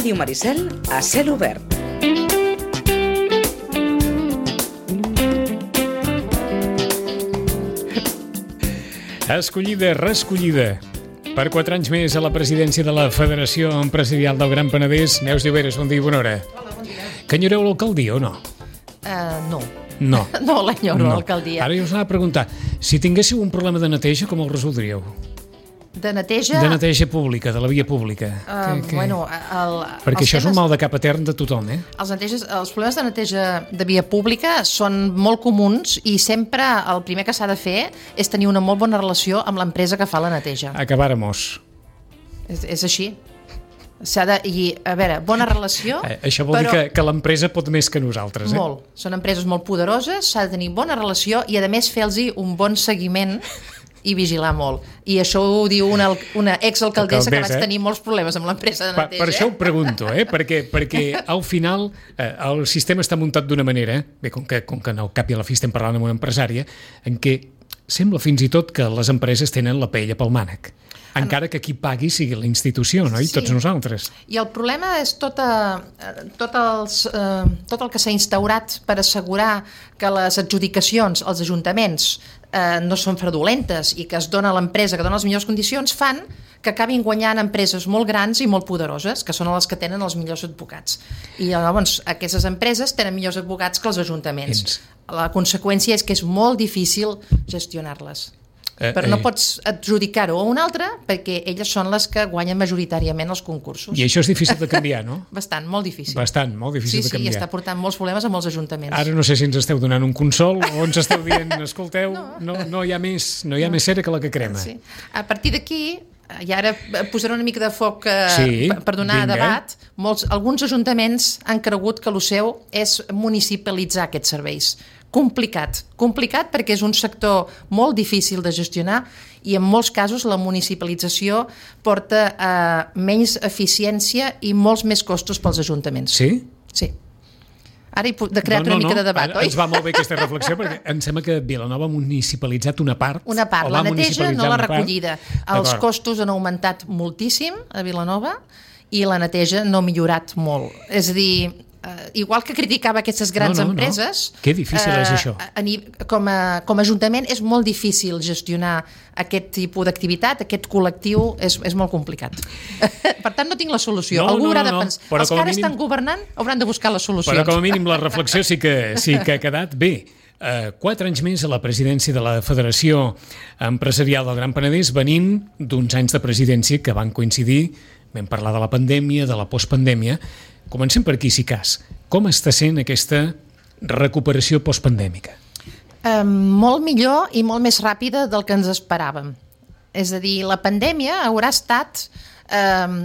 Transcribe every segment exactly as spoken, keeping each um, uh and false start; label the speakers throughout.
Speaker 1: Ràdio Maricel a cel obert.
Speaker 2: Escollida, reescollida. Per quatre anys més a la presidència de la Federació Empresarial del Gran Penedès. Neus Lloberes, bon dia i bona hora.
Speaker 3: Hola, bon dia.
Speaker 2: Que enyoreu l'alcaldia o no?
Speaker 3: Uh, no.
Speaker 2: No.
Speaker 3: No l'enyoro,
Speaker 2: no.
Speaker 3: l'alcaldia.
Speaker 2: Ara jo us anava a preguntar, si tinguéssiu un problema de neteja, com el resoldríeu?
Speaker 3: De neteja...
Speaker 2: De neteja pública, de la via pública.
Speaker 3: Uh,
Speaker 2: que, que...
Speaker 3: Bueno, el,
Speaker 2: Perquè això
Speaker 3: temes,
Speaker 2: és un mal de cap etern de tothom, eh?
Speaker 3: Els, neteges, els problemes de neteja de via pública són molt comuns i sempre el primer que s'ha de fer és tenir una molt bona relació amb l'empresa que fa la neteja.
Speaker 2: Acabàremos.
Speaker 3: És, és així. S'ha de... I, a veure, bona relació...
Speaker 2: Eh, això vol
Speaker 3: però...
Speaker 2: dir que, que l'empresa pot més que nosaltres, eh?
Speaker 3: Molt. Són empreses molt poderoses, s'ha de tenir bona relació i, a més, fer-los un bon seguiment i vigilar molt. I això ho diu una, una exalcaldessa que vaig
Speaker 2: eh?
Speaker 3: tenir molts problemes amb l'empresa de neteja.
Speaker 2: Per, per això ho pregunto, eh? perquè, perquè al final eh, el sistema està muntat d'una manera, bé, com que, com que no cap i a la fi estem parlant amb una empresària, en què sembla fins i tot que les empreses tenen la paella pel mànec. Encara que qui pagui sigui la institució, no? I
Speaker 3: sí.
Speaker 2: Tots nosaltres.
Speaker 3: I el problema és tot, a, tot, els, eh, tot el que s'ha instaurat per assegurar que les adjudicacions als ajuntaments eh, no són fraudulentes i que es dona a l'empresa que dona les millors condicions, fan que acabin guanyant empreses molt grans i molt poderoses, que són les que tenen els millors advocats. I llavors aquestes empreses tenen millors advocats que els ajuntaments. Ents. La conseqüència és que és molt difícil gestionar-les.
Speaker 2: Eh,
Speaker 3: Però no
Speaker 2: eh.
Speaker 3: pots adjudicar-ho a una altra perquè elles són les que guanyen majoritàriament els concursos.
Speaker 2: I això és difícil de canviar, no?
Speaker 3: Bastant, molt difícil.
Speaker 2: Bastant, molt difícil
Speaker 3: sí,
Speaker 2: de canviar.
Speaker 3: Sí, i està portant molts problemes a molts ajuntaments.
Speaker 2: Ara no sé si ens esteu donant un consol o ens esteu dient, escolteu, no, no, no hi ha més, no hi ha no. més cera que la que crema.
Speaker 3: Sí. A partir d'aquí, i ara posaré una mica de foc eh,
Speaker 2: sí,
Speaker 3: per donar
Speaker 2: vinga.
Speaker 3: debat, molts, alguns ajuntaments han cregut que el seu és municipalitzar aquests serveis. Complicat, complicat perquè és un sector molt difícil de gestionar i en molts casos la municipalització porta a menys eficiència i molts més costos pels ajuntaments.
Speaker 2: Sí?
Speaker 3: Sí. Ara he de crear
Speaker 2: no, no,
Speaker 3: una mica
Speaker 2: no.
Speaker 3: de debat,
Speaker 2: Ara,
Speaker 3: oi?
Speaker 2: ens va molt bé aquesta reflexió perquè em sembla que Vilanova ha municipalitzat una part.
Speaker 3: Una part, la neteja no la recollida. Els
Speaker 2: D'acord.
Speaker 3: costos han augmentat moltíssim a Vilanova i la neteja no ha millorat molt. És a dir, Uh, igual que criticava aquestes grans
Speaker 2: no, no,
Speaker 3: empreses...
Speaker 2: No. Que difícil uh, és això.
Speaker 3: A, a, com, a, com a ajuntament és molt difícil gestionar aquest tipus d'activitat, aquest col·lectiu és, és molt complicat. Per tant, no tinc la solució.
Speaker 2: No,
Speaker 3: Algú
Speaker 2: no,
Speaker 3: haurà de
Speaker 2: no,
Speaker 3: pensar.
Speaker 2: però
Speaker 3: Els que ara
Speaker 2: mínim...
Speaker 3: estan governant hauran de buscar les solucions.
Speaker 2: Però com a mínim la reflexió sí que, sí que ha quedat bé. Uh, quatre anys més a la presidència de la Federació Empresarial del Gran Penedès, venint d'uns anys de presidència que van coincidir, vam parlar de la pandèmia, de la postpandèmia. Comencem per aquí, si cas. Com està sent aquesta recuperació postpandèmica?
Speaker 3: Um, molt millor i molt més ràpida del que ens esperàvem. És a dir, la pandèmia haurà estat um,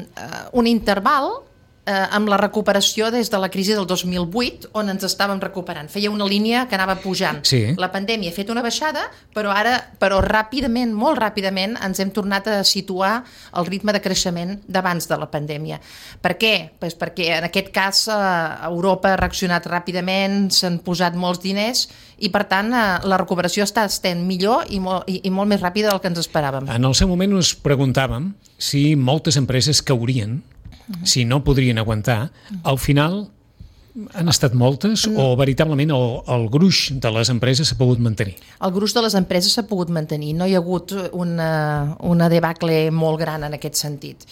Speaker 3: un interval eh, amb la recuperació des de la crisi del dos mil vuit, on ens estàvem recuperant. Feia una línia que anava pujant.
Speaker 2: Sí.
Speaker 3: La pandèmia ha fet una baixada, però ara, però ràpidament, molt ràpidament, ens hem tornat a situar al ritme de creixement d'abans de la pandèmia. Per què? Pues perquè en aquest cas eh, Europa ha reaccionat ràpidament, s'han posat molts diners i, per tant, eh, la recuperació està estent millor i molt, i, i molt més ràpida del que ens esperàvem.
Speaker 2: En el seu moment us preguntàvem si moltes empreses caurien, uh-huh. si no podrien aguantar. Uh-huh. Al final han estat moltes uh-huh. o veritablement el, el gruix de les empreses s'ha pogut mantenir?
Speaker 3: El gruix de les empreses s'ha pogut mantenir. No hi ha hagut una, una debacle molt gran en aquest sentit.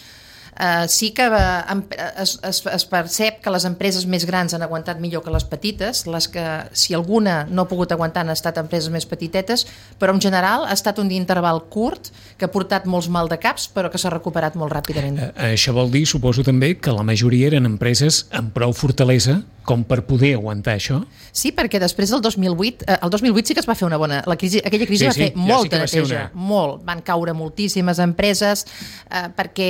Speaker 3: Uh, sí que uh, es, es, es percep que les empreses més grans han aguantat millor que les petites, les que, si alguna no ha pogut aguantar, han estat empreses més petitetes, però en general ha estat un interval curt que ha portat molts maldecaps, però que s'ha recuperat molt ràpidament.
Speaker 2: Uh, això vol dir, suposo també, que la majoria eren empreses amb prou fortalesa com per poder aguantar això?
Speaker 3: Sí, perquè després del dos mil vuit, eh, el dos mil vuit sí que es va fer una bona... La crisi, aquella crisi
Speaker 2: sí,
Speaker 3: va
Speaker 2: sí,
Speaker 3: fer
Speaker 2: ja
Speaker 3: molta
Speaker 2: sí
Speaker 3: neteja,
Speaker 2: una...
Speaker 3: molt. Van caure moltíssimes empreses eh, perquè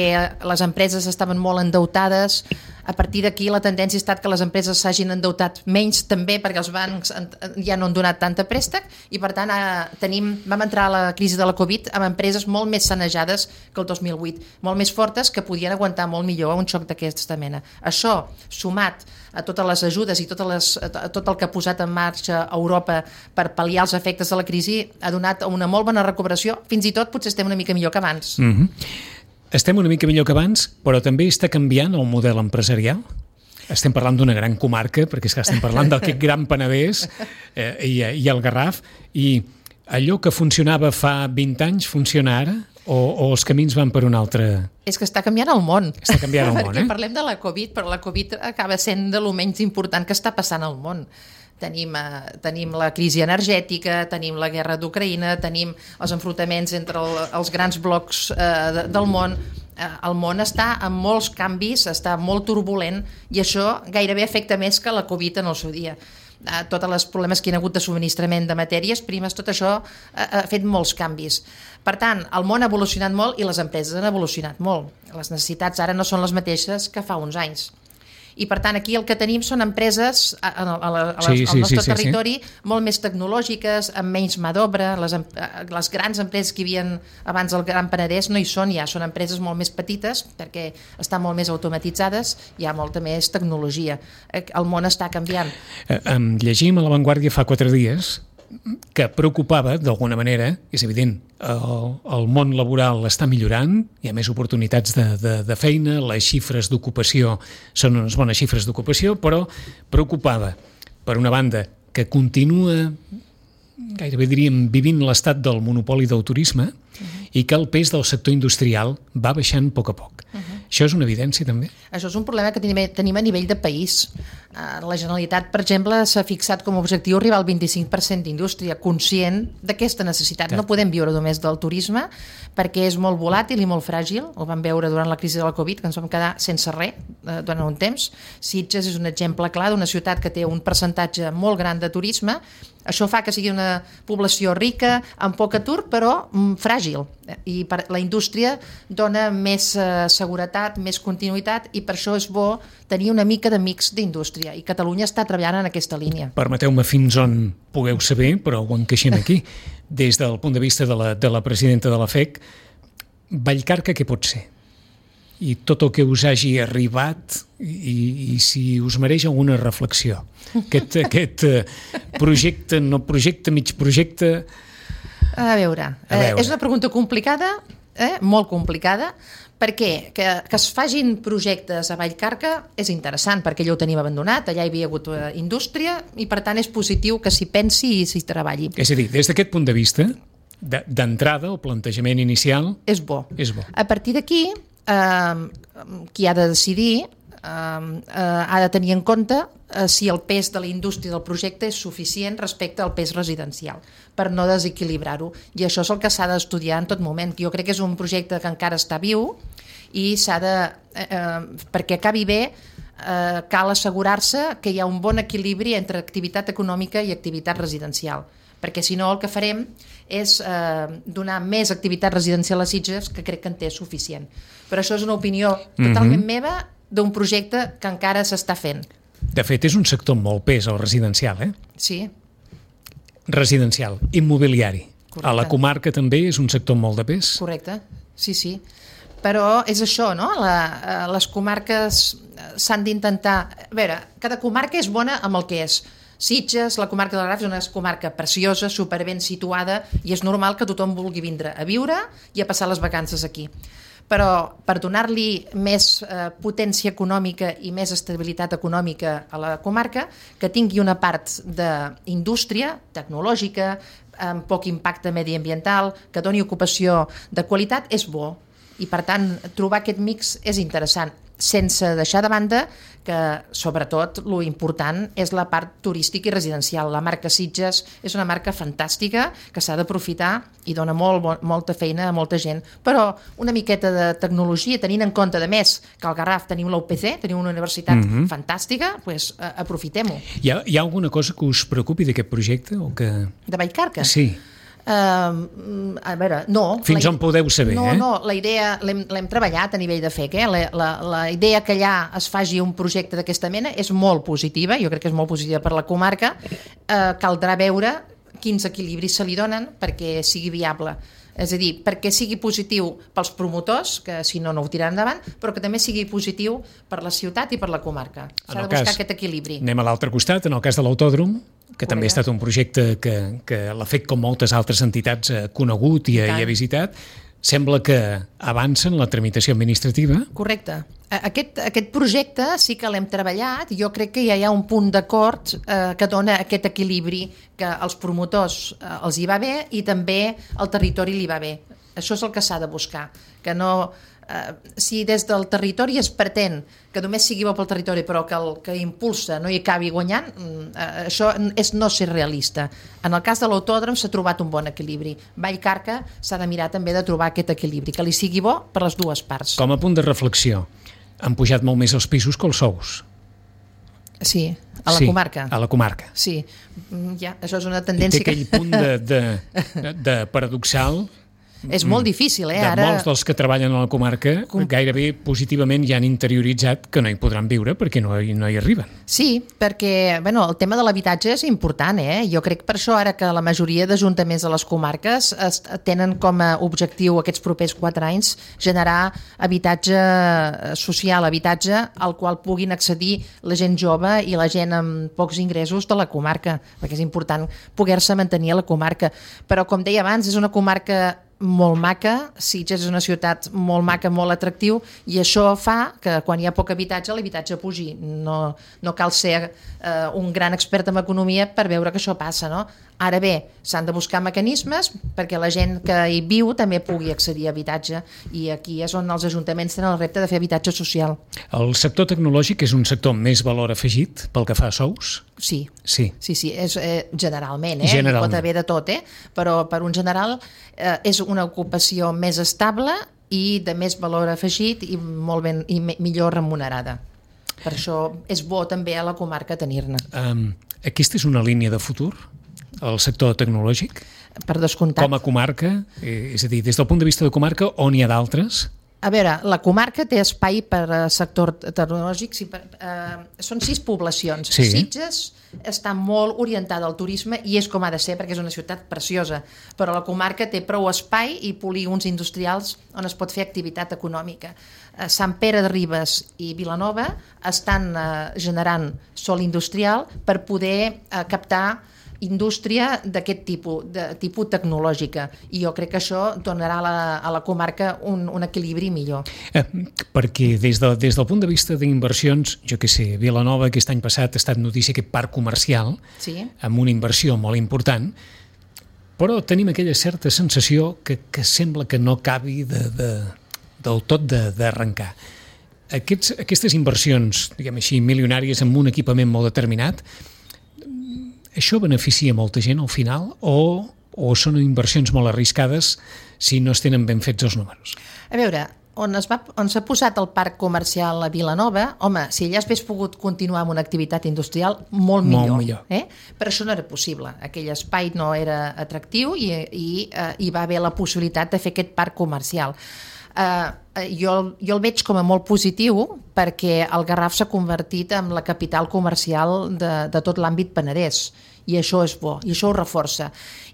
Speaker 3: les empreses estaven molt endeutades. A partir d'aquí la tendència ha estat que les empreses s'hagin endeutat menys també perquè els bancs ja no han donat tanta préstec i per tant eh, tenim, vam entrar a la crisi de la Covid amb empreses molt més sanejades que el dos mil vuit, molt més fortes que podien aguantar molt millor un xoc d'aquesta mena. Això, sumat a totes les ajudes i totes les, a tot el que ha posat en marxa Europa per pal·liar els efectes de la crisi, ha donat una molt bona recuperació, fins i tot potser estem una mica millor que abans.
Speaker 2: Mm-hmm. estem una mica millor que abans, però també està canviant el model empresarial? Estem parlant d'una gran comarca, perquè és que estem parlant d'aquest gran Penedès eh, i, i el Garraf, i allò que funcionava fa vint anys funciona ara? O, o els camins van per un altre...
Speaker 3: És que està canviant el món.
Speaker 2: Està canviant el món,
Speaker 3: Perquè
Speaker 2: eh?
Speaker 3: parlem de la Covid, però la Covid acaba sent de lo menys important que està passant al món. Tenim, eh, tenim la crisi energètica, tenim la guerra d'Ucraïna, tenim els enfrontaments entre el, els grans blocs eh, de, del món. Eh, el món està amb molts canvis, està molt turbulent, i això gairebé afecta més que la Covid en el seu dia. Eh, tots els problemes que hi ha hagut de subministrament de matèries primes, tot això eh, ha fet molts canvis. Per tant, el món ha evolucionat molt i les empreses han evolucionat molt. Les necessitats ara no són les mateixes que fa uns anys. I per tant aquí el que tenim són empreses a, a, a, a, a
Speaker 2: sí,
Speaker 3: al
Speaker 2: sí,
Speaker 3: nostre
Speaker 2: sí, sí,
Speaker 3: territori sí. molt més tecnològiques, amb menys mà d'obra. Les, les grans empreses que hi havia abans del Gran Penedès no hi són ja, són empreses molt més petites perquè estan molt més automatitzades, hi ha molta més tecnologia. El món està canviant.
Speaker 2: Eh, em llegim a La Vanguardia fa quatre dies que preocupava, d'alguna manera, és evident, el, el món laboral està millorant, hi ha més oportunitats de, de, de feina, les xifres d'ocupació són unes bones xifres d'ocupació, però preocupava, per una banda, que continua, gairebé diríem, vivint l'estat del monopoli del turisme uh-huh. i que el pes del sector industrial va baixant a poc a poc. Uh-huh. Això és una evidència, també?
Speaker 3: Això és un problema que tenim a nivell de país. La Generalitat, per exemple, s'ha fixat com a objectiu arribar al vint-i-cinc per cent d'indústria, conscient d'aquesta necessitat. Clar. No podem viure només del turisme, perquè és molt volàtil i molt fràgil. Ho vam veure durant la crisi de la Covid, que ens vam quedar sense res durant un temps. Sitges és un exemple clar d'una ciutat que té un percentatge molt gran de turisme. Això fa que sigui una població rica, amb poc atur, però mm, fràgil. I per, la indústria dona més eh, seguretat, més continuïtat, i per això és bo tenir una mica de mix d'indústria. I Catalunya està treballant en aquesta línia.
Speaker 2: Permeteu-me fins on pugueu saber, però ho encaixem aquí. Des del punt de vista de la, de la presidenta de la F E C, Vallcarca què pot ser? I tot el que us hagi arribat i, i si us mereix alguna reflexió. Aquest, aquest projecte, no projecte, mig projecte...
Speaker 3: A veure, a veure. Eh, és una pregunta complicada, eh, molt complicada, perquè que, que es fagin projectes a Vallcarca és interessant, perquè allò ho tenim abandonat, allà hi havia hagut indústria, i per tant és positiu que s'hi pensi i s'hi treballi.
Speaker 2: És a dir, des d'aquest punt de vista, d'entrada, el plantejament inicial...
Speaker 3: És bo.
Speaker 2: És bo.
Speaker 3: A partir d'aquí, eh, qui ha de decidir eh, eh, ha de tenir en compte eh, si el pes de la indústria del projecte és suficient respecte al pes residencial, per no desequilibrar-ho. I això és el que s'ha d'estudiar en tot moment. Jo crec que és un projecte que encara està viu i s'ha de... Eh, perquè acabi bé, eh, cal assegurar-se que hi ha un bon equilibri entre activitat econòmica i activitat residencial. Perquè si no el que farem és eh, donar més activitat residencial a Sitges, que crec que en té suficient. Però això és una opinió totalment mm-hmm. meva d'un projecte que encara s'està fent.
Speaker 2: De fet, és un sector molt pes, el residencial, eh?
Speaker 3: Sí.
Speaker 2: Residencial, immobiliari.
Speaker 3: Correcte.
Speaker 2: A la comarca també és un sector molt de pes?
Speaker 3: Correcte, sí, sí. Però és això, no? La, les comarques s'han d'intentar... A veure, cada comarca és bona amb el que és. Sitges, la comarca del Garraf, és una comarca preciosa, superben situada, i és normal que tothom vulgui vindre a viure i a passar les vacances aquí. Però per donar-li més eh, potència econòmica i més estabilitat econòmica a la comarca, que tingui una part d'indústria tecnològica, amb poc impacte mediambiental, que doni ocupació de qualitat, és bo. I per tant, trobar aquest mix és interessant, sense deixar de banda que, sobretot, lo important és la part turística i residencial. La marca Sitges és una marca fantàstica que s'ha d'aprofitar i dona molt, molta feina a molta gent. Però una miqueta de tecnologia, tenint en compte, de més, que al Garraf tenim l'U P C, tenim una universitat mm-hmm. fantàstica, doncs aprofitem-ho.
Speaker 2: Hi ha, hi ha alguna cosa que us preocupi d'aquest projecte? O que...
Speaker 3: De Vallcarca?
Speaker 2: Sí.
Speaker 3: Uh, a veure, no.
Speaker 2: Fins on podeu saber,
Speaker 3: no,
Speaker 2: eh?
Speaker 3: No, la idea l'hem treballat a nivell de F E C, eh? La, la, la idea que allà es faci un projecte d'aquesta mena és molt positiva, jo crec que és molt positiva per la comarca. Uh, caldrà veure quins equilibris se li donen perquè sigui viable. És a dir, perquè sigui positiu pels promotors, que si no, no ho tiraran endavant, però que també sigui positiu per la ciutat i per la comarca. S'ha de buscar cas, aquest equilibri.
Speaker 2: Anem a l'altre costat, en el cas de l'autòdrom, que també ha estat un projecte que, que l'ha fet com moltes altres entitats ha conegut i, i ha visitat. sembla que avança en la tramitació administrativa.
Speaker 3: Correcte. Aquest, aquest projecte sí que l'hem treballat i jo crec que ja hi ha un punt d'acord eh, que dona aquest equilibri que als promotors eh, els hi va bé i també al territori li va bé. Això és el que s'ha de buscar, que no... Uh, si des del territori es pretén que només sigui bo pel territori però que el que impulsa no hi acabi guanyant, uh, això és no ser realista. En el cas de l'autòdrom s'ha trobat un bon equilibri. Vallcarca s'ha de mirar també de trobar aquest equilibri, que li sigui bo per les dues parts.
Speaker 2: Com a punt de reflexió, han pujat molt més els pisos que els sous.
Speaker 3: Sí, a la
Speaker 2: sí,
Speaker 3: comarca.
Speaker 2: a la comarca.
Speaker 3: Sí, ja, això és una tendència.
Speaker 2: I té aquell
Speaker 3: que...
Speaker 2: punt de, de, de paradoxal.
Speaker 3: És molt difícil, eh?
Speaker 2: De
Speaker 3: Ara...
Speaker 2: molts dels que treballen a la comarca Com... gairebé positivament ja han interioritzat que no hi podran viure perquè no hi, no hi arriben.
Speaker 3: Sí, perquè bueno, el tema de l'habitatge és important, eh? Jo crec per això ara que la majoria d'ajuntaments de les comarques es, tenen com a objectiu aquests propers quatre anys generar habitatge social, habitatge al qual puguin accedir la gent jove i la gent amb pocs ingressos de la comarca, perquè és important poder-se mantenir a la comarca. Però, com deia abans, és una comarca molt maca, Sitges és una ciutat molt maca, molt atractiu, i això fa que quan hi ha poc habitatge, l'habitatge pugi. No, no cal ser eh, un gran expert en economia per veure que això passa, no? Ara bé, s'han de buscar mecanismes perquè la gent que hi viu també pugui accedir a habitatge, i aquí és on els ajuntaments tenen el repte de fer habitatge social.
Speaker 2: El sector tecnològic és un sector més valor afegit pel que fa a sous?
Speaker 3: Sí,
Speaker 2: sí,
Speaker 3: sí, sí és, eh, generalment, eh?
Speaker 2: generalment.
Speaker 3: Pot haver de tot, eh? Però per un general eh, és una ocupació més estable i de més valor afegit i molt ben i me, millor remunerada. Per això és bo també a la comarca tenir-ne.
Speaker 2: Um, aquesta és una línia de futur? El sector tecnològic?
Speaker 3: Per descomptat.
Speaker 2: Com a comarca? Eh, és a dir, des del punt de vista de comarca, on hi ha d'altres?
Speaker 3: A veure, la comarca té espai per a sector tecnològic. Sí, per, eh, són sis poblacions.
Speaker 2: Sí.
Speaker 3: Sitges està molt orientada al turisme i és com ha de ser perquè és una ciutat preciosa, però la comarca té prou espai i polígons industrials on es pot fer activitat econòmica. Eh, Sant Pere de Ribes i Vilanova estan eh, generant sòl industrial per poder eh, captar indústria d'aquest tipus, de tipus tecnològica, i jo crec que això donarà a la, a la comarca un, un equilibri millor.
Speaker 2: Eh, perquè des, de, des del punt de vista d'inversions, jo què sé, Vilanova aquest any passat ha estat notícia aquest parc comercial,
Speaker 3: sí,
Speaker 2: amb una inversió molt important, però tenim aquella certa sensació que, que sembla que no acabi de, de, del tot d'arrencar. Aquests, aquestes inversions, diguem així, milionàries amb un equipament molt determinat, això beneficia molta gent al final o, o són inversions molt arriscades si no es tenen ben fets els números?
Speaker 3: A veure, on es va, on s'ha posat el parc comercial a Vilanova, home, si allà s'hagués pogut continuar amb una activitat industrial, molt millor.
Speaker 2: Molt millor.
Speaker 3: Eh? Però això no era possible. Aquell espai no era atractiu i, i eh, hi va haver la possibilitat de fer aquest parc comercial. Uh, jo, jo el veig com a molt positiu perquè el Garraf s'ha convertit en la capital comercial de, de tot l'àmbit Penedès, i això és bo, i això ho reforça.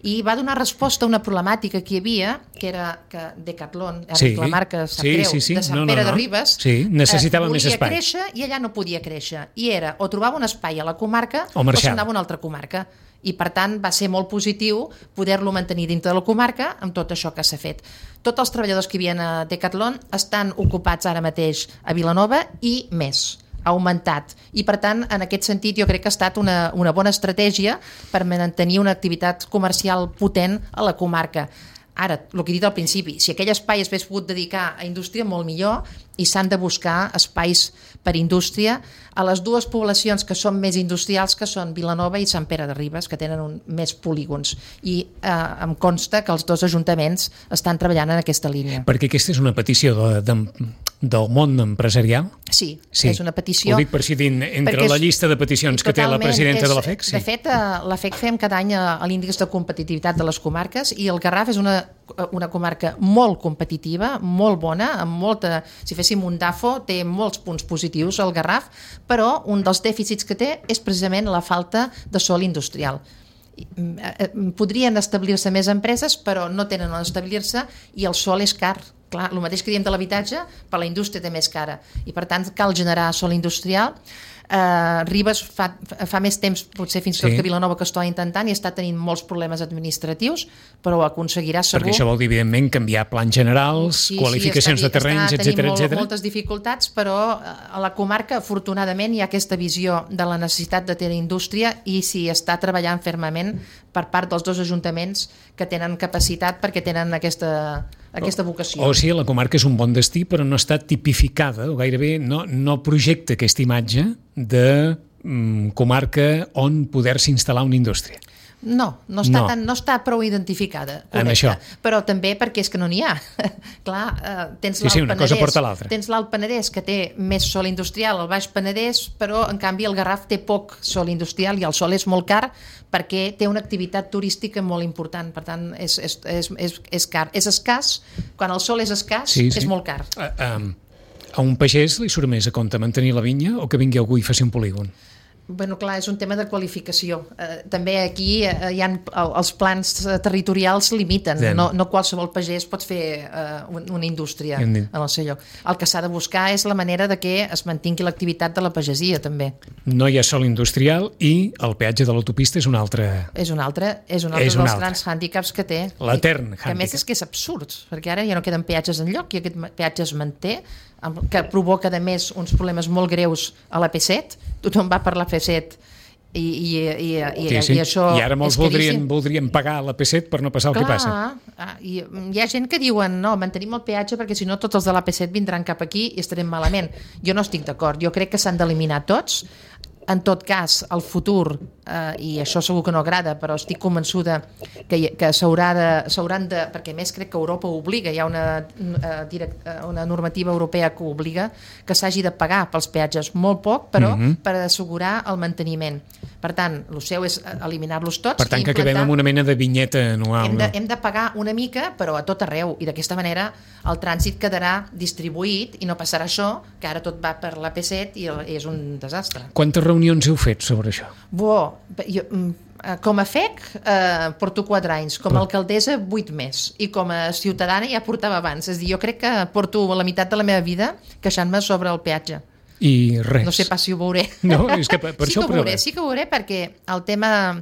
Speaker 3: I va donar resposta a una problemàtica que hi havia, que era que Decathlon,
Speaker 2: sí,
Speaker 3: la marca sap
Speaker 2: sí,
Speaker 3: greu,
Speaker 2: sí, sí.
Speaker 3: de Sant
Speaker 2: no,
Speaker 3: Pere
Speaker 2: no, no.
Speaker 3: de Ribes,
Speaker 2: sí, necessitava
Speaker 3: eh,
Speaker 2: més espai.
Speaker 3: Volia créixer i allà no podia créixer. I era o trobava un espai a la comarca
Speaker 2: o,
Speaker 3: o se'n anava a una altra comarca. I per tant va ser molt positiu poder-lo mantenir dintre de la comarca amb tot això que s'ha fet. Tots els treballadors que hi havia a Decathlon estan ocupats ara mateix a Vilanova i més, ha augmentat, i per tant en aquest sentit jo crec que ha estat una, una bona estratègia per mantenir una activitat comercial potent a la comarca. Ara, el que he dit al principi, si aquell espai es hagués pogut dedicar a indústria, molt millor, i s'han de buscar espais per indústria a les dues poblacions que són més industrials, que són Vilanova i Sant Pere de Ribes, que tenen un, més polígons. I eh, em consta que els dos ajuntaments estan treballant en aquesta línia.
Speaker 2: Perquè aquesta és una petició de, de, del món empresarial?
Speaker 3: Sí,
Speaker 2: sí,
Speaker 3: és una petició.
Speaker 2: Ho dic per si din, entre la llista de peticions que té la presidenta
Speaker 3: és,
Speaker 2: de la F E C. Sí.
Speaker 3: De fet, la F E C fem cada any l'índex de competitivitat de les comarques i el Garraf és una, una comarca molt competitiva, molt bona, amb molta... Si féssim un DAFO, té molts punts positius el Garraf, però un dels dèficits que té és precisament la falta de sòl industrial. Podrien establir-se més empreses, però no tenen on establir-se i el sòl és car. Clar, el mateix que diem de l'habitatge, per la indústria també és cara. I per tant cal generar sòl industrial. Uh, Ribes fa, fa més temps, potser fins i tot
Speaker 2: Sí.
Speaker 3: que Vilanova, que està intentant i està tenint molts problemes administratius, però ho aconseguirà segur.
Speaker 2: Perquè això vol dir, evidentment, canviar plans generals,
Speaker 3: Sí,
Speaker 2: qualificacions
Speaker 3: sí,
Speaker 2: de terrenys,
Speaker 3: està tenint
Speaker 2: etcètera,
Speaker 3: molt,
Speaker 2: etcètera.
Speaker 3: moltes dificultats, però a la comarca, afortunadament, hi ha aquesta visió de la necessitat de tenir indústria i s'hi està treballant fermament per part dels dos ajuntaments que tenen capacitat perquè tenen aquesta, aquesta vocació.
Speaker 2: O sigui, la comarca és un bon destí, però no està tipificada, o gairebé no, no projecta aquesta imatge de mm, comarca on poder-se instal·lar una indústria.
Speaker 3: No, no està,
Speaker 2: No.
Speaker 3: Tan, no està prou identificada,
Speaker 2: En
Speaker 3: correcte.
Speaker 2: això.
Speaker 3: Però també perquè és que no n'hi ha. Clar, eh, tens
Speaker 2: Sí,
Speaker 3: l'Alt
Speaker 2: sí, una cosa
Speaker 3: Penedès,
Speaker 2: porta l'altra.
Speaker 3: tens l'Alt Penedès que té més sol industrial, el Baix Penedès, però en canvi el Garraf té poc sol industrial i el sol és molt car perquè té una activitat turística molt important, per tant és, és, és, és, és car. És escàs, quan el sol és escàs
Speaker 2: Sí, sí.
Speaker 3: és molt car.
Speaker 2: A, a, a un pagès li surt més a compte mantenir la vinya o que vingui algú i faci un polígon?
Speaker 3: Bueno, clar, és un tema de qualificació. Eh, també aquí eh, hi ha, els plans eh, territorials limiten.
Speaker 2: Bien.
Speaker 3: No, no qualsevol pagès pot fer eh, un- una indústria
Speaker 2: Ben
Speaker 3: en
Speaker 2: dit.
Speaker 3: el seu lloc. El que s'ha de buscar és la manera de que es mantingui l'activitat de la pagesia, també.
Speaker 2: No hi ha sol industrial i el peatge de l'autopista és un altre...
Speaker 3: És un altre, és un altre
Speaker 2: És un
Speaker 3: dels
Speaker 2: altre.
Speaker 3: grans hàndicaps que té.
Speaker 2: L'etern
Speaker 3: I- Que a més
Speaker 2: hàndicap.
Speaker 3: és que és absurd, perquè ara ja no queden peatges enlloc i aquest ma- peatge es manté, amb- que provoca, a més, uns problemes molt greus a l'A P set. Tothom va per l'A P set i, i, i, i,
Speaker 2: Sí, sí.
Speaker 3: i això
Speaker 2: I ara molts
Speaker 3: és caríssim.
Speaker 2: voldrien, voldrien pagar l'A P set per no passar el que passa.
Speaker 3: Ah, i hi ha gent que diuen no, mantenim el peatge perquè si no tots els de l'A P set vindran cap aquí i estarem malament. Jo no estic d'acord, jo crec que s'han d'eliminar tots. En tot cas, el futur, eh, i això segur que no agrada, però estic convençuda que, hi- que s'haurà de, s'hauran de... Perquè a més crec que Europa ho obliga, hi ha una, eh, direct, eh, una normativa europea que ho obliga que s'hagi de pagar pels peatges molt poc, però
Speaker 2: Mhm.
Speaker 3: per assegurar el manteniment. Per tant, el seu és eliminar-los tots.
Speaker 2: Per tant,
Speaker 3: i
Speaker 2: que acabem
Speaker 3: implantar-
Speaker 2: amb una mena de vinyeta anual.
Speaker 3: hem de,
Speaker 2: No?
Speaker 3: hem de pagar una mica, però a tot arreu, i d'aquesta manera el trànsit quedarà distribuït i no passarà això, que ara tot va per l'A P set i el- és un desastre.
Speaker 2: Quantes reunions heu fet sobre això?
Speaker 3: Bo, jo, mm, eh, com a F E C eh, porto quatre anys, com a alcaldessa vuit més, i com a ciutadana ja portava abans. És a dir, jo crec que porto la meitat de la meva vida queixant-me sobre el peatge.
Speaker 2: I res.
Speaker 3: No sé pas si ho veuré.
Speaker 2: No, és que per, per
Speaker 3: sí
Speaker 2: això
Speaker 3: que ho veuré, sí que ho veuré perquè el tema,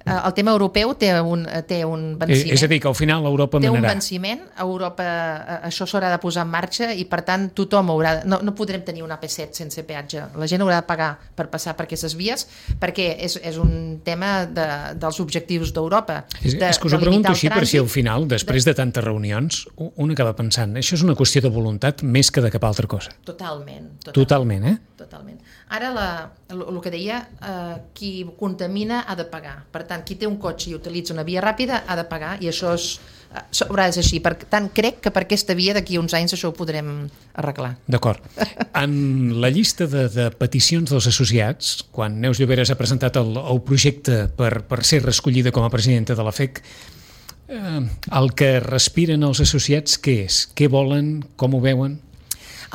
Speaker 3: eh, el tema europeu té un, té un
Speaker 2: és,
Speaker 3: venciment.
Speaker 2: és a dir, que al final l'Europa
Speaker 3: Té un
Speaker 2: manarà.
Speaker 3: venciment, Europa eh, això s'haurà de posar en marxa i per tant tothom haurà de, no, no podrem tenir un A P set sense peatge, la gent haurà de pagar per passar per aquestes vies perquè és, és un tema de, dels objectius d'Europa.
Speaker 2: És,
Speaker 3: de,
Speaker 2: és que us ho
Speaker 3: de
Speaker 2: pregunto
Speaker 3: limitar el
Speaker 2: així per si al
Speaker 3: trànsit.
Speaker 2: final, després de tantes reunions, u- un acaba pensant, això és una qüestió de voluntat més que de cap altra cosa.
Speaker 3: Totalment, totalment.
Speaker 2: Totalment, eh?
Speaker 3: Totalment. Ara la, el, el que deia, eh, qui contamina ha de pagar. Per tant, qui té un cotxe i utilitza una via ràpida ha de pagar i això és, eh, haurà de ser així. Per tant, crec que per aquesta via d'aquí uns anys això ho podrem arreglar.
Speaker 2: D'acord. En la llista de, de peticions dels associats, quan Neus Lloberes ha presentat el, el projecte per, per ser reescollida com a presidenta de la F E C, eh, el que respiren els associats, què és? Què volen? Com ho veuen?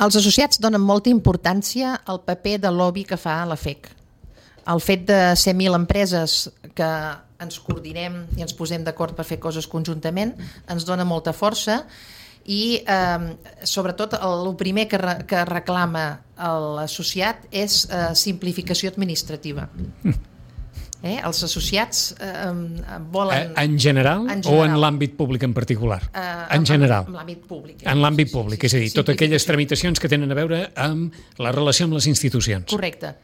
Speaker 3: Els associats donen molta importància al paper de lobby que fa la F E C. El fet de ser mil empreses que ens coordinem i ens posem d'acord per fer coses conjuntament ens dona molta força i eh, sobretot el, el primer que, re, que reclama l'associat és eh, simplificació administrativa. Eh? Els associats eh, volen...
Speaker 2: En general,
Speaker 3: En
Speaker 2: o en
Speaker 3: general.
Speaker 2: l'àmbit públic en particular?
Speaker 3: eh,
Speaker 2: En general.
Speaker 3: En l'àmbit públic.
Speaker 2: En l'àmbit
Speaker 3: Sí, sí,
Speaker 2: públic,
Speaker 3: sí,
Speaker 2: és a
Speaker 3: sí,
Speaker 2: dir, totes aquelles
Speaker 3: simplificació.
Speaker 2: tramitacions que tenen a veure amb la relació amb les institucions.
Speaker 3: Correcte.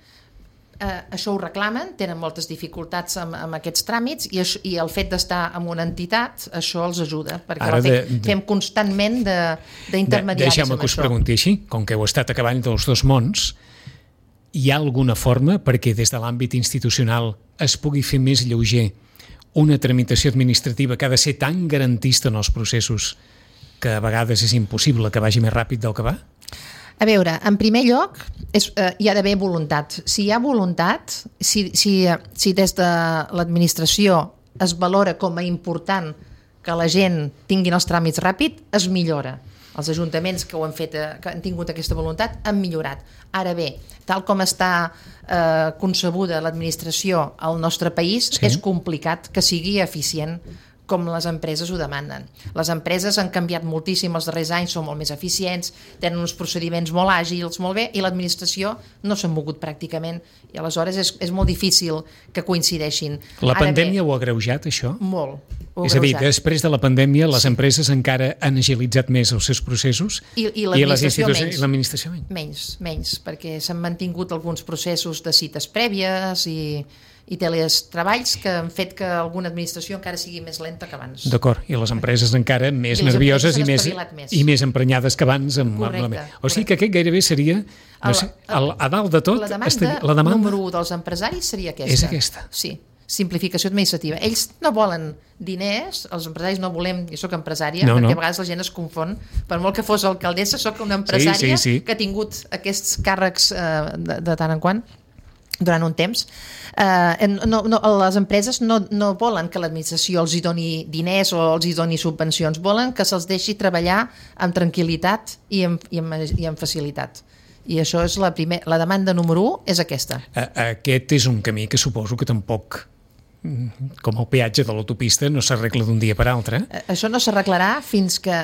Speaker 3: Eh, això ho reclamen, tenen moltes dificultats amb, amb aquests tràmits i, això, i el fet d'estar en una entitat, això els ajuda, perquè
Speaker 2: Ara
Speaker 3: Ara de,
Speaker 2: de- de-
Speaker 3: fem constantment
Speaker 2: De-
Speaker 3: d'intermediaris
Speaker 2: Deixeu-me
Speaker 3: amb
Speaker 2: que us
Speaker 3: això.
Speaker 2: pregunti així, com que heu estat a cavall dels dos mons, hi ha alguna forma perquè des de l'àmbit institucional es pugui fer més lleuger una tramitació administrativa que ha de ser tan garantista en els processos que a vegades és impossible que vagi més ràpid del que va?
Speaker 3: A veure, en primer lloc, és, eh, hi ha d'haver voluntat. Si hi ha voluntat, si, si, eh, si des de l'administració es valora com a important que la gent tingui els tràmits ràpid, es millora. Els ajuntaments que ho han fet, eh, que han tingut aquesta voluntat, han millorat. Ara bé, tal com està eh, concebuda l'administració al nostre país,
Speaker 2: Sí.
Speaker 3: és complicat que sigui eficient com les empreses ho demanen. Les empreses han canviat moltíssim els darrers anys, són molt més eficients, tenen uns procediments molt àgils, molt bé, i l'administració no s'ha mogut pràcticament, i aleshores és, és molt difícil que coincideixin.
Speaker 2: La
Speaker 3: Ara
Speaker 2: pandèmia
Speaker 3: bé,
Speaker 2: ho ha agreujat, això?
Speaker 3: Molt.
Speaker 2: És a dir, després de la pandèmia les empreses encara han agilitzat més els seus processos
Speaker 3: i, i l'administració menys.
Speaker 2: I l'administració menys.
Speaker 3: Menys, menys, perquè s'han mantingut alguns processos de cites prèvies i, i teletreballs que han fet que alguna administració encara sigui més lenta que abans.
Speaker 2: D'acord, i les empreses encara més
Speaker 3: I
Speaker 2: nervioses i més,
Speaker 3: més.
Speaker 2: i més emprenyades que abans. Amb,
Speaker 3: correcte,
Speaker 2: amb la... O sigui que aquest gairebé seria, no sé, el, a dalt de tot...
Speaker 3: La demanda,
Speaker 2: estaria, la demanda
Speaker 3: número u dels empresaris seria aquesta.
Speaker 2: És aquesta.
Speaker 3: Sí, simplificació administrativa. Ells no volen diners, els empresaris no volem, jo soc empresària,
Speaker 2: no,
Speaker 3: perquè
Speaker 2: no.
Speaker 3: a vegades la gent es confon, per molt que fos alcaldessa, sóc una empresària
Speaker 2: sí, sí, sí.
Speaker 3: que ha tingut aquests càrrecs eh, de, de tant en quant, durant un temps. Eh, no, no, les empreses no, no volen que l'administració els hi doni diners o els hi doni subvencions, volen que se'ls deixi treballar amb tranquil·litat i amb, i amb, i amb facilitat. I això és la, primer, la demanda número u, és aquesta.
Speaker 2: Aquest és un camí que suposo que tampoc, com el peatge de l'autopista, no s'arregla d'un dia per altre.
Speaker 3: Això no s'arreglarà fins que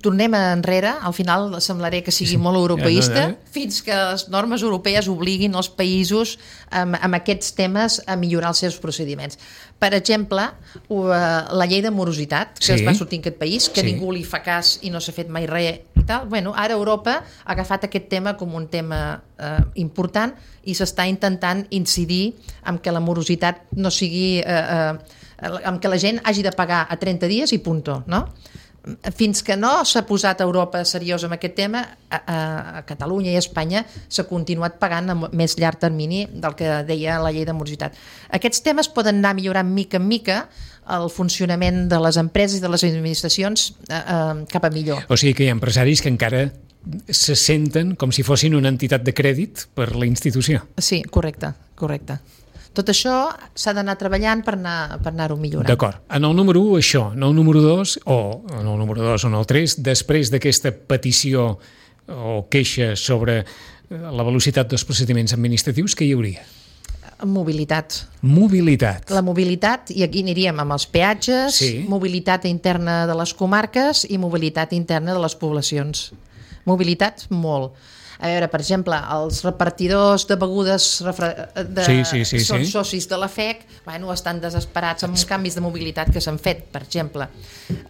Speaker 3: tornem enrere, al final semblaré que sigui molt europeista,
Speaker 2: no, no.
Speaker 3: fins que les normes europees obliguin els països amb, amb aquests temes a millorar els seus procediments. Per exemple, la llei de morositat, que sí. es va sortir en aquest país, que sí. ningú li fa cas i no s'ha fet mai res i tal. Bueno, ara Europa ha agafat aquest tema com un tema eh, important i s'està intentant incidir en que la morositat no sigui... Eh, eh, en que la gent hagi de pagar a trenta dies i punto, no? Fins que no s'ha posat a Europa seriós amb aquest tema, a, a, a Catalunya i a Espanya s'ha continuat pagant a més llarg termini del que deia la llei de morositat. Aquests temes poden anar millorant mica en mica el funcionament de les empreses i de les administracions eh, eh, cap a millor.
Speaker 2: O sigui que hi ha empresaris que encara se senten com si fossin una entitat de crèdit per la institució.
Speaker 3: Sí, correcte, correcte. Tot això s'ha d'anar treballant per anar, per anar-ho millorant.
Speaker 2: D'acord. En el número u, això. En el número dos, o en el número dos o en el tres, després d'aquesta petició o queixa sobre la velocitat dels procediments administratius, què hi hauria?
Speaker 3: Mobilitat.
Speaker 2: Mobilitat.
Speaker 3: La mobilitat, i aquí aniríem amb els peatges,
Speaker 2: sí.
Speaker 3: mobilitat interna de les comarques i mobilitat interna de les poblacions. Mobilitat, molt. A veure, per exemple, els repartidors de begudes refre... de...
Speaker 2: sí, sí, sí,
Speaker 3: són
Speaker 2: sí.
Speaker 3: socis de la F E C, bueno, estan desesperats amb canvis de mobilitat que s'han fet, per exemple.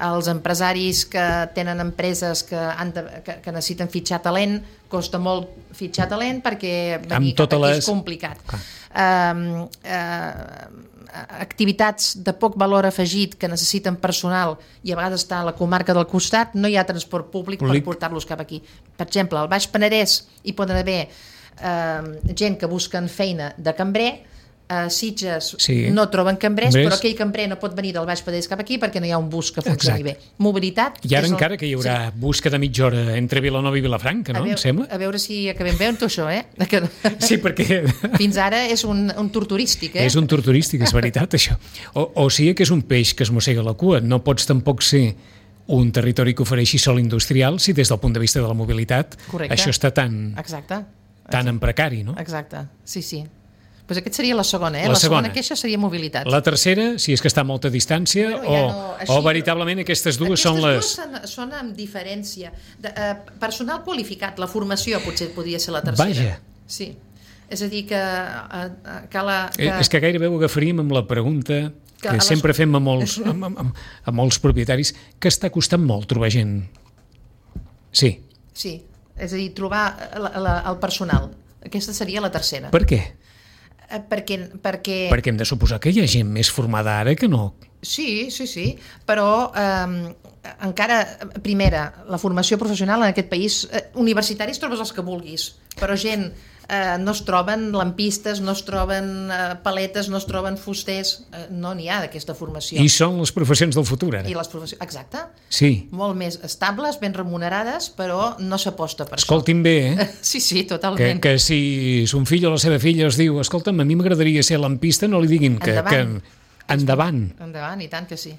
Speaker 3: Els empresaris que tenen empreses que, han de, que, que necessiten fitxar talent, costa molt fitxar talent perquè venir cap aquí les... és complicat. Ah. Uh, uh, activitats de poc valor afegit que necessiten personal i a vegades està a la comarca del costat, no hi ha transport públic, públic. per portar-los cap aquí. Per exemple, al Baix Penedès hi poden haver eh, gent que busquen feina de cambrer, a Sitges sí. no troben cambrers, cambrers, però aquell cambrer no pot venir del Baix Penedès cap aquí perquè no hi ha un bus que funcioni bé. Mobilitat...
Speaker 2: I ara encara el... que hi haurà sí. bus cada mitja hora entre Vilanova i Vilafranca, no?
Speaker 3: A veure,
Speaker 2: em sembla?
Speaker 3: A veure si acabem bé amb tot això, eh? Que...
Speaker 2: Sí, perquè...
Speaker 3: Fins ara és un, un tour turístic, eh?
Speaker 2: És un tour turístic, és veritat, això. O, o sigui que és un peix que es mossega la cua. No pots tampoc ser un territori que ofereixi sol industrial si des del punt de vista de la mobilitat Correcte. Això està tan,
Speaker 3: Exacte.
Speaker 2: tan en precari, no?
Speaker 3: Exacte, sí, sí. Pues aquest seria la segona, eh?
Speaker 2: La,
Speaker 3: la
Speaker 2: segona.
Speaker 3: segona queixa seria mobilitat.
Speaker 2: La tercera, si és que està a molta distància, bueno, ja no, o, així, o veritablement aquestes dues
Speaker 3: aquestes
Speaker 2: són les...
Speaker 3: Aquestes dues són amb diferència. De, eh, personal qualificat, la formació potser podria ser la tercera.
Speaker 2: Vaja.
Speaker 3: Sí. És a dir, que... Eh, que, la, que...
Speaker 2: És que gairebé ho agafaríem amb la pregunta que, que sempre les... fem a molts, a, a, a molts propietaris, que està costant molt trobar gent. Sí.
Speaker 3: Sí, és a dir, trobar la, la, el personal. Aquesta seria la tercera.
Speaker 2: Per què?
Speaker 3: Perquè, perquè...
Speaker 2: perquè hem de suposar que hi ha gent més formada ara que no.
Speaker 3: Sí, sí, sí, però eh, encara, primera, la formació professional en aquest país, eh, universitaris trobes els que vulguis, però gent eh, no es troben lampistes, no es troben eh, paletes, no es troben fusters, eh, no n'hi ha d'aquesta formació.
Speaker 2: I són les professions del futur, ara.
Speaker 3: I les professions, exacte.
Speaker 2: Sí.
Speaker 3: Molt més estables, ben remunerades, però no s'aposta per
Speaker 2: Escoltin
Speaker 3: això.
Speaker 2: Escoltin bé, eh?
Speaker 3: Sí, sí, totalment.
Speaker 2: Que, que si son fill o la seva filla es diu, escolta'm, a mi m'agradaria ser lampista, no li diguin que...
Speaker 3: Endavant.
Speaker 2: que endavant.
Speaker 3: Endavant, i tant que sí.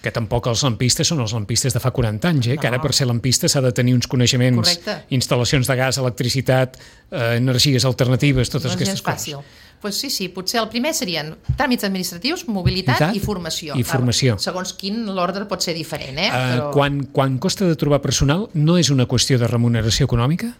Speaker 2: Que tampoc els lampistes són els lampistes de fa quaranta anys, eh?
Speaker 3: No.
Speaker 2: Que ara per ser lampista s'ha de tenir uns coneixements,
Speaker 3: Correcte.
Speaker 2: instal·lacions de gas, electricitat, eh, energies alternatives, totes
Speaker 3: No és
Speaker 2: aquestes
Speaker 3: gens fàcil.
Speaker 2: coses.
Speaker 3: Pues sí, sí, potser el primer serien tràmits administratius, mobilitat
Speaker 2: Veritat?
Speaker 3: i formació.
Speaker 2: I formació.
Speaker 3: Ah, segons quin l'ordre pot ser diferent, eh?
Speaker 2: Eh,
Speaker 3: Però
Speaker 2: quan, quan costa de trobar personal, no és una qüestió de remuneració econòmica?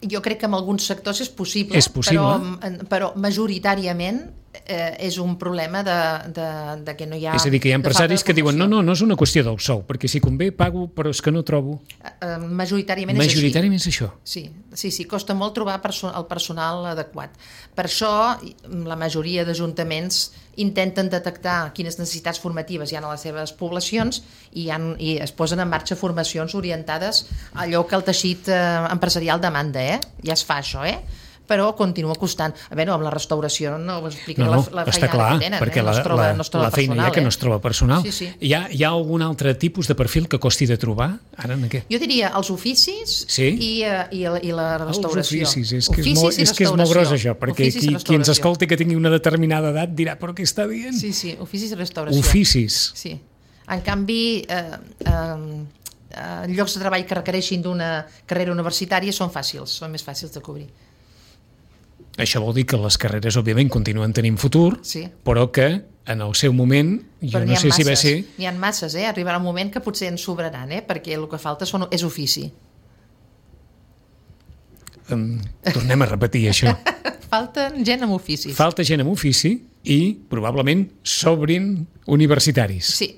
Speaker 3: jo crec que en alguns sectors és possible,
Speaker 2: És possible.
Speaker 3: Però, però majoritàriament eh, és un problema de, de, de que no hi ha...
Speaker 2: És a dir, que hi ha
Speaker 3: de falta de
Speaker 2: empresaris que diuen no,
Speaker 3: formació.
Speaker 2: no, no és una qüestió del sou, perquè si convé pago, però és que no trobo.
Speaker 3: Eh, majoritàriament,
Speaker 2: Majoritàriament és
Speaker 3: és
Speaker 2: això.
Speaker 3: així. Sí, sí, sí, costa molt trobar perso el personal adequat. Per això la majoria d'ajuntaments intenten detectar quines necessitats formatives hi ha a les seves poblacions i, han, i es posen en marxa formacions orientades a allò que el teixit eh, empresarial demanda, eh? Ja es fa això, eh? Però continua costant. A veure, amb la restauració no us explicaré
Speaker 2: No, no,
Speaker 3: la, la
Speaker 2: està
Speaker 3: feinada
Speaker 2: clar,
Speaker 3: que tenen,
Speaker 2: perquè
Speaker 3: eh? no
Speaker 2: la,
Speaker 3: es troba,
Speaker 2: la,
Speaker 3: no es troba
Speaker 2: la feina
Speaker 3: personal,
Speaker 2: hi ha que
Speaker 3: eh?
Speaker 2: no es troba personal.
Speaker 3: Sí, sí.
Speaker 2: Hi, ha, hi ha algun altre tipus de perfil que costi de trobar? Ara en què?
Speaker 3: Jo diria els oficis
Speaker 2: Sí?
Speaker 3: i, eh, i, la, i la restauració.
Speaker 2: Els oficis, és que és,
Speaker 3: Oficis
Speaker 2: molt,
Speaker 3: i
Speaker 2: és que és molt gros això, perquè
Speaker 3: Oficis i
Speaker 2: qui, qui ens
Speaker 3: restauració.
Speaker 2: escolti que tingui una determinada edat dirà, però què està dient?
Speaker 3: Sí, sí, oficis i restauració.
Speaker 2: Oficis.
Speaker 3: Sí. En canvi, eh, eh, eh, llocs de treball que requereixin d'una carrera universitària són fàcils, són més fàcils de cobrir.
Speaker 2: Això vol dir que les carreres, òbviament, continuen tenint futur,
Speaker 3: Sí.
Speaker 2: però que en el seu moment, jo
Speaker 3: Però n'hi
Speaker 2: no
Speaker 3: ha
Speaker 2: sé si va
Speaker 3: masses,
Speaker 2: ser...
Speaker 3: n'hi ha masses, eh? Arribarà un moment que potser ens sobraran, eh? Perquè el que falta són, és ofici.
Speaker 2: Um, tornem a repetir això.
Speaker 3: Falta gent amb oficis.
Speaker 2: Falta gent amb ofici i probablement s'obrin universitaris.
Speaker 3: Sí,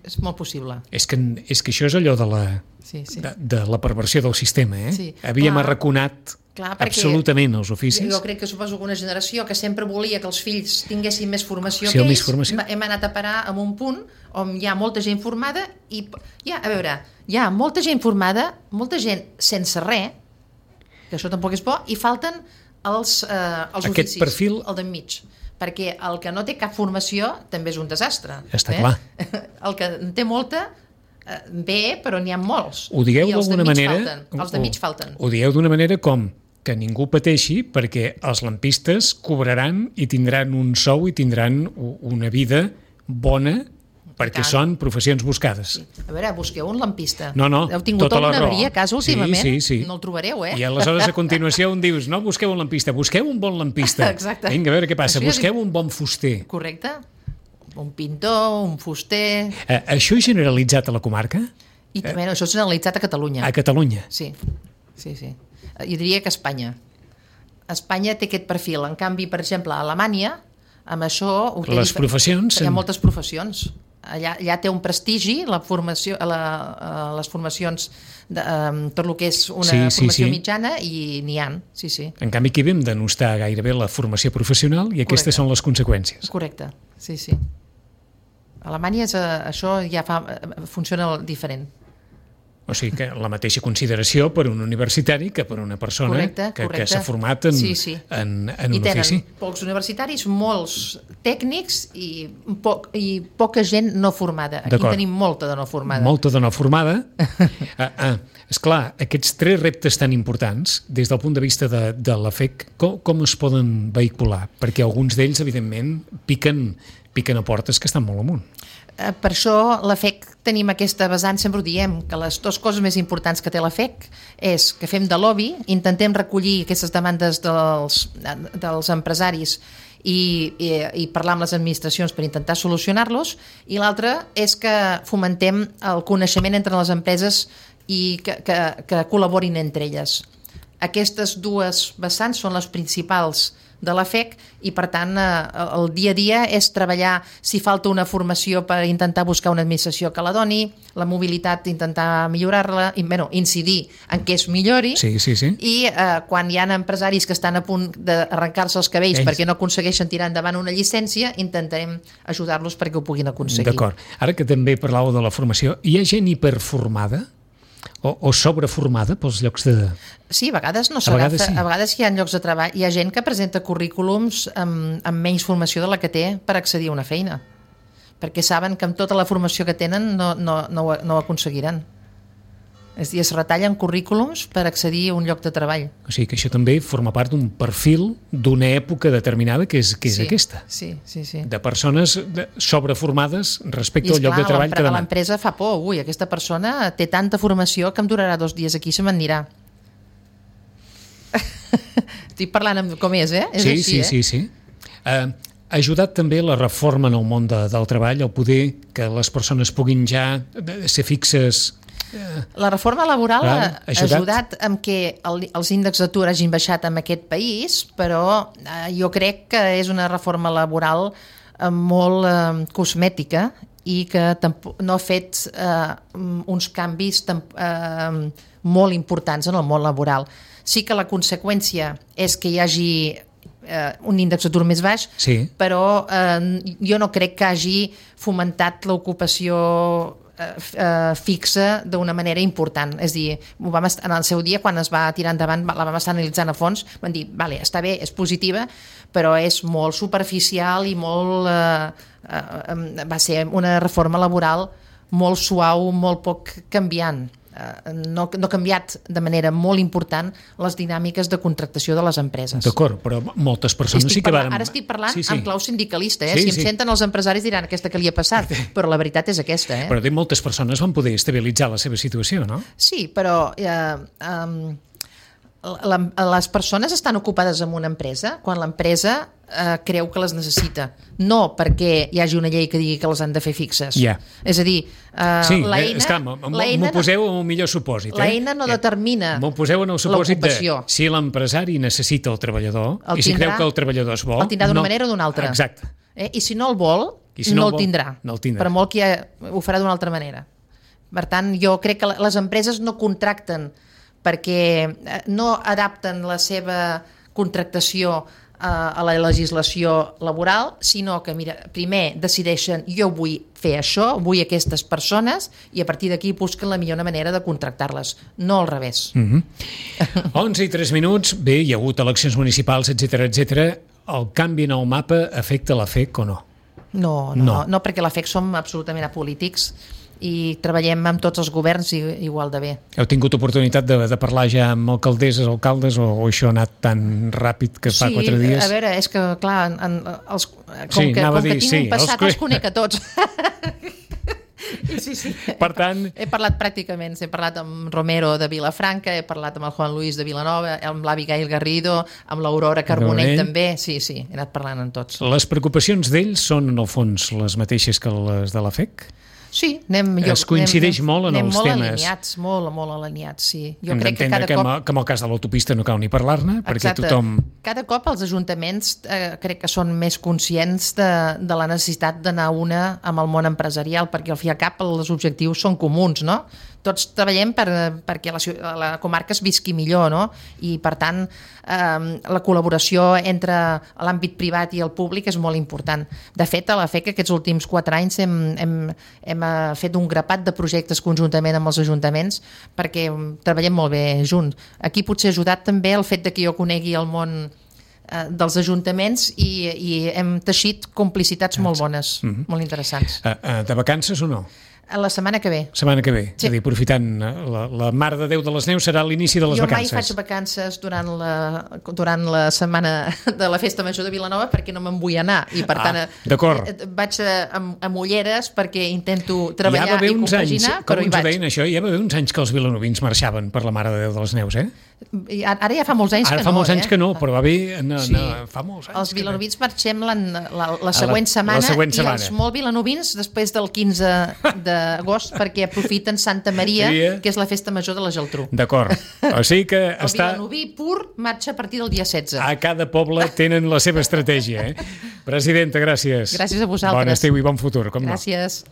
Speaker 3: és molt possible.
Speaker 2: És que, és que això és allò de la,
Speaker 3: Sí, sí.
Speaker 2: de, de la perversió del sistema, eh?
Speaker 3: Sí.
Speaker 2: Havíem
Speaker 3: Clar.
Speaker 2: arraconat
Speaker 3: Clar, perquè
Speaker 2: absolutament els oficis.
Speaker 3: Jo crec que suposo que una generació que sempre volia que els fills tinguessin més formació
Speaker 2: Sí,
Speaker 3: que
Speaker 2: més
Speaker 3: ells,
Speaker 2: formació.
Speaker 3: hem anat a parar a un punt on hi ha molta gent formada i hi ha, a veure, hi ha molta gent formada, molta gent sense res, que això tampoc és bo, i falten els, eh, els
Speaker 2: Aquest
Speaker 3: oficis,
Speaker 2: perfil-
Speaker 3: el d'enmig. Perquè el que no té cap formació també és un desastre.
Speaker 2: Està
Speaker 3: eh?
Speaker 2: clar.
Speaker 3: El que en té molta, eh, bé, però n'hi ha molts.
Speaker 2: Ho digueu
Speaker 3: I els
Speaker 2: d'alguna
Speaker 3: d'enmig
Speaker 2: manera...
Speaker 3: Falten, els de mig falten.
Speaker 2: Ho dieu d'una manera com que ningú pateixi perquè els lampistes cobraran i tindran un sou i tindran u- una vida bona perquè
Speaker 3: tant.
Speaker 2: són professions buscades.
Speaker 3: A veure, busqueu un lampista.
Speaker 2: No, no,
Speaker 3: Heu tingut
Speaker 2: tota la
Speaker 3: alguna
Speaker 2: raó.
Speaker 3: avaria a casa
Speaker 2: Sí,
Speaker 3: últimament?
Speaker 2: sí, sí.
Speaker 3: No el trobareu, eh?
Speaker 2: I aleshores a continuació on dius no busqueu un lampista, busqueu un bon lampista.
Speaker 3: Exacte.
Speaker 2: Vinga, a veure què passa,
Speaker 3: Això ja
Speaker 2: busqueu
Speaker 3: dic-
Speaker 2: un bon fuster.
Speaker 3: Correcte? Un pintor, un fuster...
Speaker 2: Eh, això és generalitzat a la comarca?
Speaker 3: I també, això és generalitzat a Catalunya.
Speaker 2: A Catalunya?
Speaker 3: Sí, sí, sí. Eh, Jo diria que a Espanya. Espanya té aquest perfil. En canvi, per exemple, a Alemanya, amb això... ho té
Speaker 2: Les
Speaker 3: difer-
Speaker 2: professions...
Speaker 3: Hi ha moltes professions. Allà, allà té un prestigi la formació, la, eh, les formacions de, um, tot el que és una
Speaker 2: Sí, sí,
Speaker 3: formació
Speaker 2: sí.
Speaker 3: mitjana i n'hi ha, sí, sí.
Speaker 2: En canvi, aquí vam denostar gairebé la formació professional i aquestes
Speaker 3: Correcte.
Speaker 2: són les conseqüències.
Speaker 3: Correcte, sí, sí. A Alemanya és, eh, això ja fa, eh, funciona diferent.
Speaker 2: O sigui que la mateixa consideració per un universitari que per una persona
Speaker 3: Correcte,
Speaker 2: que, que
Speaker 3: correcte.
Speaker 2: s'ha format en,
Speaker 3: Sí, sí.
Speaker 2: en, en
Speaker 3: I
Speaker 2: un
Speaker 3: tenen
Speaker 2: ofici.
Speaker 3: pocs universitaris, molts tècnics i, poc, i poca gent no formada. Aquí
Speaker 2: D'acord.
Speaker 3: tenim molta de no formada.
Speaker 2: Molta de no formada. ah, ah, esclar, aquests tres reptes tan importants, des del punt de vista de, de l'A F E C, com, com es poden vehicular? Perquè alguns d'ells, evidentment, piquen, piquen a portes que estan molt amunt.
Speaker 3: Eh, Per això l'A F E C tenim aquesta vessant, sempre ho diem, que les dues coses més importants que té l'A F E C és que fem de lobby, intentem recollir aquestes demandes dels, dels empresaris i, i, i parlar amb les administracions per intentar solucionar-los, i l'altra és que fomentem el coneixement entre les empreses i que, que, que col·laborin entre elles. Aquestes dues vessants són les principals de l'A F E C i, per tant, eh, el dia a dia és treballar si falta una formació per intentar buscar una administració que la doni, la mobilitat, intentar millorar-la, i, bueno, incidir en què es millori,
Speaker 2: Sí, sí, sí.
Speaker 3: i eh, quan hi ha empresaris que estan a punt d'arrencar-se els cabells
Speaker 2: Ells.
Speaker 3: perquè no aconsegueixen tirar endavant una llicència, intentarem ajudar-los perquè ho puguin aconseguir.
Speaker 2: D'acord. Ara que també parlàveu de la formació, hi ha gent hiperformada o, o sobreformada pels llocs de...
Speaker 3: Sí, a vegades no
Speaker 2: A
Speaker 3: s'agafa.
Speaker 2: vegades sí.
Speaker 3: A vegades hi ha llocs de treball, hi ha gent que presenta currículums amb, amb menys formació de la que té per accedir a una feina, perquè saben que amb tota la formació que tenen no, no, no, ho, no ho aconseguiran. És a dir, es retallen currículums per accedir a un lloc de treball.
Speaker 2: O sigui que això també forma part d'un perfil d'una època determinada que és, que és
Speaker 3: sí,
Speaker 2: aquesta.
Speaker 3: Sí, sí, sí.
Speaker 2: De persones de, sobreformades respecte al lloc de treball que demà.
Speaker 3: L'empresa fa por. Ui, aquesta persona té tanta formació que em durarà dos dies aquí i se me'n anirà. Estic parlant amb com és, eh? És
Speaker 2: sí,
Speaker 3: així,
Speaker 2: sí,
Speaker 3: eh?
Speaker 2: sí, sí. Uh, ha ajudat també la reforma en el món de, del treball, el poder que les persones puguin ja ser fixes.
Speaker 3: La reforma laboral
Speaker 2: ah,
Speaker 3: ha ajudat, ajudat amb que el, els índexs d'atur hagin baixat en aquest país, però eh, jo crec que és una reforma laboral eh, molt eh, cosmètica i que no ha fet eh, uns canvis eh, molt importants en el món laboral. Sí que la conseqüència és que hi hagi eh, un índex d'atur més baix,
Speaker 2: sí.
Speaker 3: però eh, jo no crec que hagi fomentat l'ocupació Uh, fixa d'una manera important. És a dir, ho vam estar, en el seu dia, quan es va tirar endavant, la vam estar analitzant a fons, vam dir, vale, està bé, és positiva, però és molt superficial i molt... Uh, uh, va ser una reforma laboral molt suau, molt poc canviant. Uh, no, no ha canviat de manera molt important les dinàmiques de contractació de les empreses.
Speaker 2: D'acord, però moltes persones
Speaker 3: estic
Speaker 2: sí que
Speaker 3: parlant,
Speaker 2: van...
Speaker 3: Ara estic parlant sí, sí. en clau sindicalista, eh?
Speaker 2: Sí,
Speaker 3: si em
Speaker 2: sí.
Speaker 3: senten els empresaris diran aquesta que li ha passat, però la veritat és aquesta. Eh?
Speaker 2: Però de moltes persones van poder estabilitzar la seva situació, no?
Speaker 3: Sí, però... Eh, um, la, les persones estan ocupades en una empresa quan l'empresa eh, creu que les necessita, no perquè hi hagi una llei que digui que les han de fer fixes.
Speaker 2: Yeah.
Speaker 3: És a dir, eh,
Speaker 2: sí,
Speaker 3: l'eina...
Speaker 2: és que m'ho poseu en un millor supòsit. Eh?
Speaker 3: L'eina no determina
Speaker 2: m'ho poseu en el supòsit de
Speaker 3: l'ocupació.
Speaker 2: Si l'empresari necessita el treballador
Speaker 3: el
Speaker 2: i si
Speaker 3: tindrà,
Speaker 2: creu que el treballador es vol...
Speaker 3: El tindrà d'una
Speaker 2: no,
Speaker 3: manera o d'una altra.
Speaker 2: Exacte.
Speaker 3: Eh? I si no el vol,
Speaker 2: si
Speaker 3: no,
Speaker 2: no
Speaker 3: el,
Speaker 2: vol
Speaker 3: tindrà.
Speaker 2: no el tindrà.
Speaker 3: Per molt que ho farà d'una altra manera. Per tant, jo crec que les empreses no contracten perquè no adapten la seva contractació a la legislació laboral, sinó que, mira, primer decideixen jo vull fer això, vull aquestes persones, i a partir d'aquí busquen la millor manera de contractar-les, no al revés.
Speaker 2: Mm-hmm. onze i tres minuts, bé, hi ha hagut eleccions municipals, etcètera, etcètera. El canvi en el mapa afecta la F E C o no?
Speaker 3: No, no, no, no perquè la F E C som absolutament apolítics i treballem amb tots els governs igual de bé.
Speaker 2: Heu tingut oportunitat de, de parlar ja amb alcaldesses, alcaldes, o, o això ha anat tan ràpid que fa
Speaker 3: sí,
Speaker 2: quatre dies?
Speaker 3: Sí, a veure, és que, clar, en, en, els, com,
Speaker 2: sí,
Speaker 3: que, com
Speaker 2: dir,
Speaker 3: que tinc
Speaker 2: sí,
Speaker 3: un passat, els, els conec a tots. Sí, sí.
Speaker 2: Per tant...
Speaker 3: He parlat pràcticament, he parlat amb Romero de Vilafranca, he parlat amb el Juan Luis de Vilanova, amb l'Abigail Garrido, amb l'Aurora Carbonell també, sí, sí, he anat parlant amb tots.
Speaker 2: Les preocupacions d'ells són, en el fons, les mateixes que les de la F E C?
Speaker 3: Sí, anem, jo,
Speaker 2: es coincideix
Speaker 3: anem,
Speaker 2: molt en
Speaker 3: anem
Speaker 2: els
Speaker 3: molt
Speaker 2: temes.
Speaker 3: Alineats, molt, molt alineats, sí. Jo
Speaker 2: Hem
Speaker 3: crec que cada
Speaker 2: que,
Speaker 3: cop...
Speaker 2: que en el cas de l'autopista no cal ni parlar-ne, perquè
Speaker 3: Exacte.
Speaker 2: tothom...
Speaker 3: Cada cop els ajuntaments eh, crec que són més conscients de, de la necessitat d'anar una amb el món empresarial, perquè al fi i al cap els objectius són comuns, no? Tots treballem per, perquè la, la comarca es visqui millor, no? I per tant eh, la col·laboració entre l'àmbit privat i el públic és molt important. De fet, a la F E C aquests últims quatre anys hem, hem, hem fet un grapat de projectes conjuntament amb els ajuntaments perquè treballem molt bé junts. Aquí potser ha ajudat també el fet de que jo conegui el món eh, dels ajuntaments i, i hem teixit complicitats molt bones, mm-hmm. molt interessants.
Speaker 2: Uh, uh, de vacances o no?
Speaker 3: La setmana que ve.
Speaker 2: Setmana que ve.
Speaker 3: Sí.
Speaker 2: És a dir, aprofitant la, la Mare de Déu de les Neus serà l'inici de les
Speaker 3: jo
Speaker 2: vacances.
Speaker 3: Jo mai faig vacances durant la, durant la setmana de la Festa Major de Vilanova perquè no me'n vull anar i per
Speaker 2: ah,
Speaker 3: tant
Speaker 2: d'acord.
Speaker 3: vaig amb, amb ulleres perquè intento treballar
Speaker 2: ja
Speaker 3: i compaginar,
Speaker 2: anys,
Speaker 3: però hi vaig.
Speaker 2: Com ens deien això, ja va haver uns anys que els vilanovins marxaven per la Mare de Déu de les Neus, eh?
Speaker 3: Ara ja fa molts anys
Speaker 2: Ara
Speaker 3: que
Speaker 2: fa
Speaker 3: no.
Speaker 2: molts anys
Speaker 3: eh?
Speaker 2: que no, però va bé... No,
Speaker 3: sí.
Speaker 2: no, fa molts anys
Speaker 3: els vilanovins no. marxem la, la, la següent
Speaker 2: la,
Speaker 3: setmana
Speaker 2: la següent
Speaker 3: i
Speaker 2: setmana.
Speaker 3: els molt vilanovins després del quinze d'agost perquè aprofiten Santa Maria,
Speaker 2: sí, eh?
Speaker 3: que és la festa major de la Geltrú.
Speaker 2: D'acord. O sigui que
Speaker 3: el
Speaker 2: està...
Speaker 3: vilanoví pur marxa a partir del dia setze.
Speaker 2: A cada poble tenen la seva estratègia, eh? Presidenta, gràcies.
Speaker 3: Gràcies a vosaltres.
Speaker 2: Bon estiu i bon futur, com no.
Speaker 3: Gràcies.